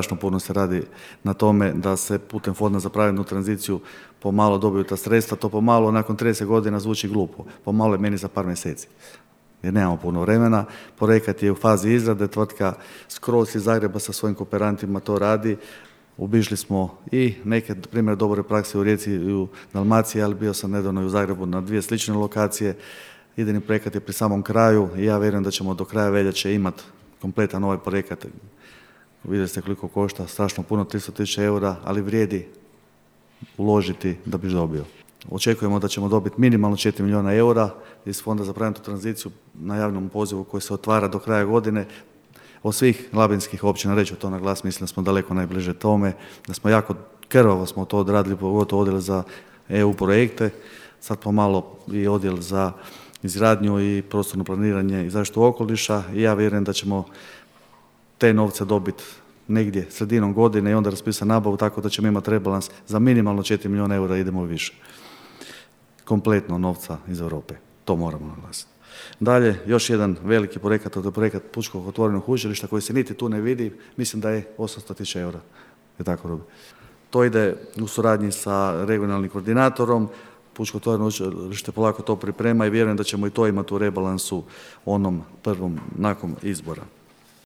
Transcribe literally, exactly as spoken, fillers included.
Strašno puno se radi na tome da se putem Fonda za pravednu tranziciju pomalo dobiju ta sredstva. To pomalo nakon trideset godina zvuči glupo. Pomalo je meni za par mjeseci. Jer nemamo puno vremena. Projekat je u fazi izrade. Tvrtka skroz iz Zagreba sa svojim kooperantima to radi. Obišli smo i neke primjere dobre prakse u Rijeci i u Dalmaciji, ali bio sam nedavno i u Zagrebu na dvije slične lokacije. Idejni projekat je pri samom kraju i ja vjerujem da ćemo do kraja veljače imati kompletan ovaj projekat. Vidjeli ste koliko košta, strašno puno, tristo tisuća eura, ali vrijedi uložiti da bi dobio. Očekujemo da ćemo dobiti minimalno četiri milijuna eura iz Fonda za pravednu tranziciju na javnom pozivu koji se otvara do kraja godine. Od svih labinskih općina, reću to na glas, mislim da smo daleko najbliže tome, da smo jako krvavo smo to odradili, pogotovo odjel za E U projekte, sad pomalo i odjel za izgradnju i prostorno planiranje i zaštitu okoliša i ja vjerujem da ćemo te novce dobiti negdje sredinom godine i onda raspisati nabavu tako da ćemo imati rebalans za minimalno četiri milijuna eura, idemo više. Kompletno novca iz Europe, to moramo naglasiti. Dalje, još jedan veliki projekat, to je projekat Pučkog otvorenog učilišta koji se niti tu ne vidi, mislim da je osamsto tisuća eura. Je tako, Robi? To ide u suradnji sa regionalnim koordinatorom, Pučko otvoreno učilište polako to priprema i vjerujem da ćemo i to imati u rebalansu onom prvom nakon izbora.